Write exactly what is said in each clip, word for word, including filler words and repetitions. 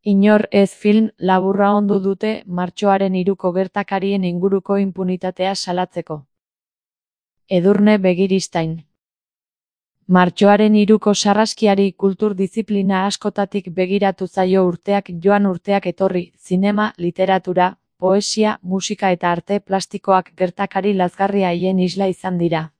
Inor ez film laburra ondu dute martxoaren hiruko gertakarien inguruko inpunitatea salatzeko. Edurne Begiristain. Martxoaren hiruko sarraskiari kultur diziplina askotatik begiratu zaio urteak joan urteak etorri, zinema, literatura, poesia, musika eta arte plastikoak gertakari lazgarri haien isla izan dira.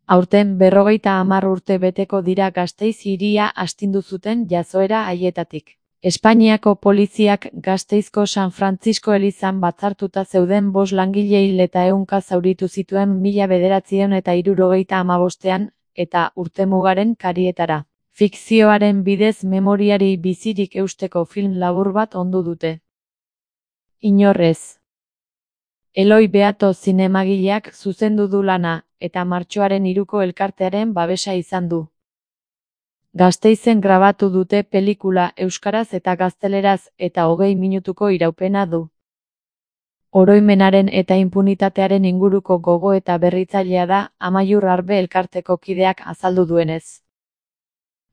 Aurten berrogeita hamar urte beteko dira Gasteiz hiria astindu zuten jazoera haietatik. Espainiako poliziak Gasteizko San Frantzisko elizan batzartuta zeuden bost langile hil eta ehunka zauritu zituen mila bederatziehun eta hirurogeita hamabostean, eta urtemugaren karietara. Fikzioaren bidez memoriari bizirik eusteko film labur bat ondu dute. Inor ez. Eloi Beato zinemagileak zuzendu du lana, eta martxoaren hiruko elkartearen babesa izan du. Gasteizen grabatu dute pelikula euskaraz eta gazteleraz eta hogei minutuko iraupena du. Oroimenaren eta inpunitatearen inguruko gogo eta berritzailea da, Amaiur Arbe elkarteko kideak azaldu duenez.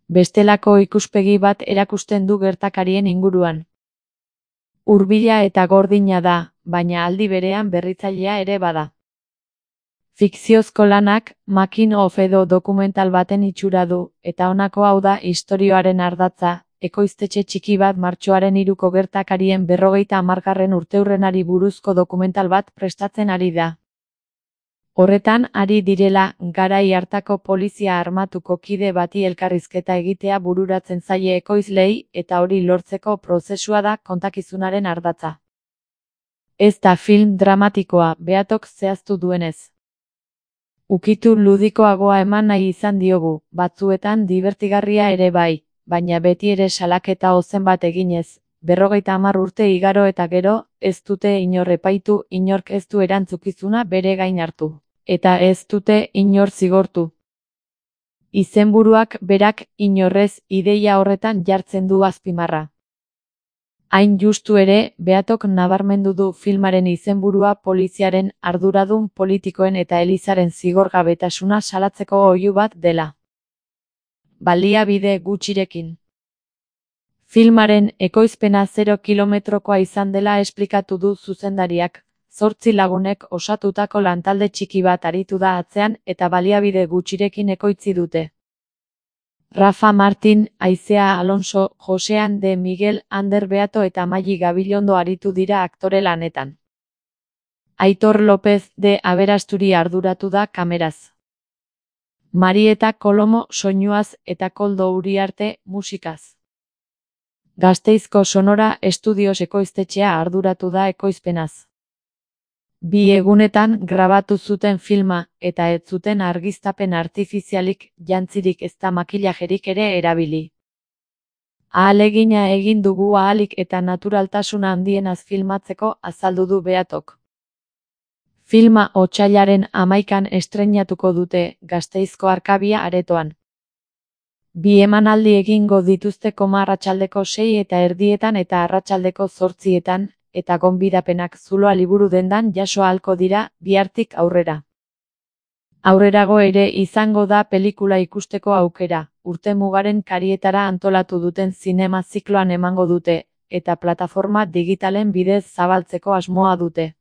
Bestelako ikuspegi bat erakusten du gertakarien inguruan. Hurbila eta gordina da, baina aldi berean berritzailea ere bada. Fikziozko lanak, making of edo dokumental baten itxura du, eta honako hau da istorioaren ardatza, ekoiztetxe txiki bat martxoaren hiruko gertakarien berrogeita hamargarren urteurrenari buruzko dokumental bat prestatzen ari da. Horretan ari direla, garai hartako polizia armatuko kide bati elkarrizketa egitea bururatzen zaie ekoizlei, eta hori lortzeko prozesua da kontakizunaren ardatza. Ez da film dramatikoa, Beatok zehaztu duenez. Ukitu ludikoagoa eman nahi izan diogu, batzuetan dibertigarria ere bai, baina beti ere salaketa ozen bat eginez, berrogeita hamar urte igaro eta gero, ez dute inor epaitu, inork ez du erantzukizuna bere gain hartu, eta ez dute inor zigortu. Izenburuak berak inorrez ideia horretan jartzen du azpimarra. Hain justu ere, Beatok nabarmendu du filmaren izenburua poliziaren, arduradun politikoen eta elizaren zigorgabetasuna salatzeko oihu bat dela. Baliabide gutxirekin. Filmaren ekoizpena zero kilometrokoa izan dela esplikatu du zuzendariak, zortzi lagunek osatutako lantalde txiki bat aritu da atzean eta baliabide gutxirekin ekoitzi dute. Rafa Martin, Aizea Alonso, Josean de Miguel, Ander Beato eta Maili Gabilondo aritu dira aktore lanetan. Aitor López de Aberasturi arduratu da kameraz. Marieta Kolomo soinuaz eta Koldo Uriarte musikaz. Gasteizko Sonora Estudios ekoiztetxea arduratu da ekoizpenaz. Bi egunetan grabatu zuten filma, eta ez zuten argiztapen artifizialik, jantzirik ezta makillajerik ere erabili. Ahalegina egin dugu ahalik eta naturaltasuna handienaz filmatzeko azaldu du Beatok. Filma otsailaren hamaikan estreinatuko dute, Gasteizko Arkabia aretoan. Bi emanaldi egingo dituzte koma arratsaldeko sei eta erdietan eta arratsaldeko zortzietan, eta gonbidapenak zuloa liburu dendan jaso ahalko dira, bihartik aurrera. Aurrerago ere izango da pelikula ikusteko aukera, urtemugaren karietara antolatu duten zinema zikloan emango dute, eta plataforma digitalen bidez zabaltzeko asmoa dute.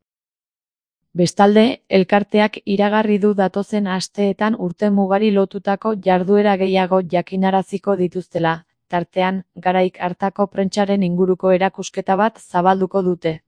Bestalde, elkarteak iragarri du datozen asteetan urtemugari lotutako jarduera gehiago jakinaraziko dituztela, tartean, garaik hartako prentsaren inguruko erakusketa bat zabalduko dute.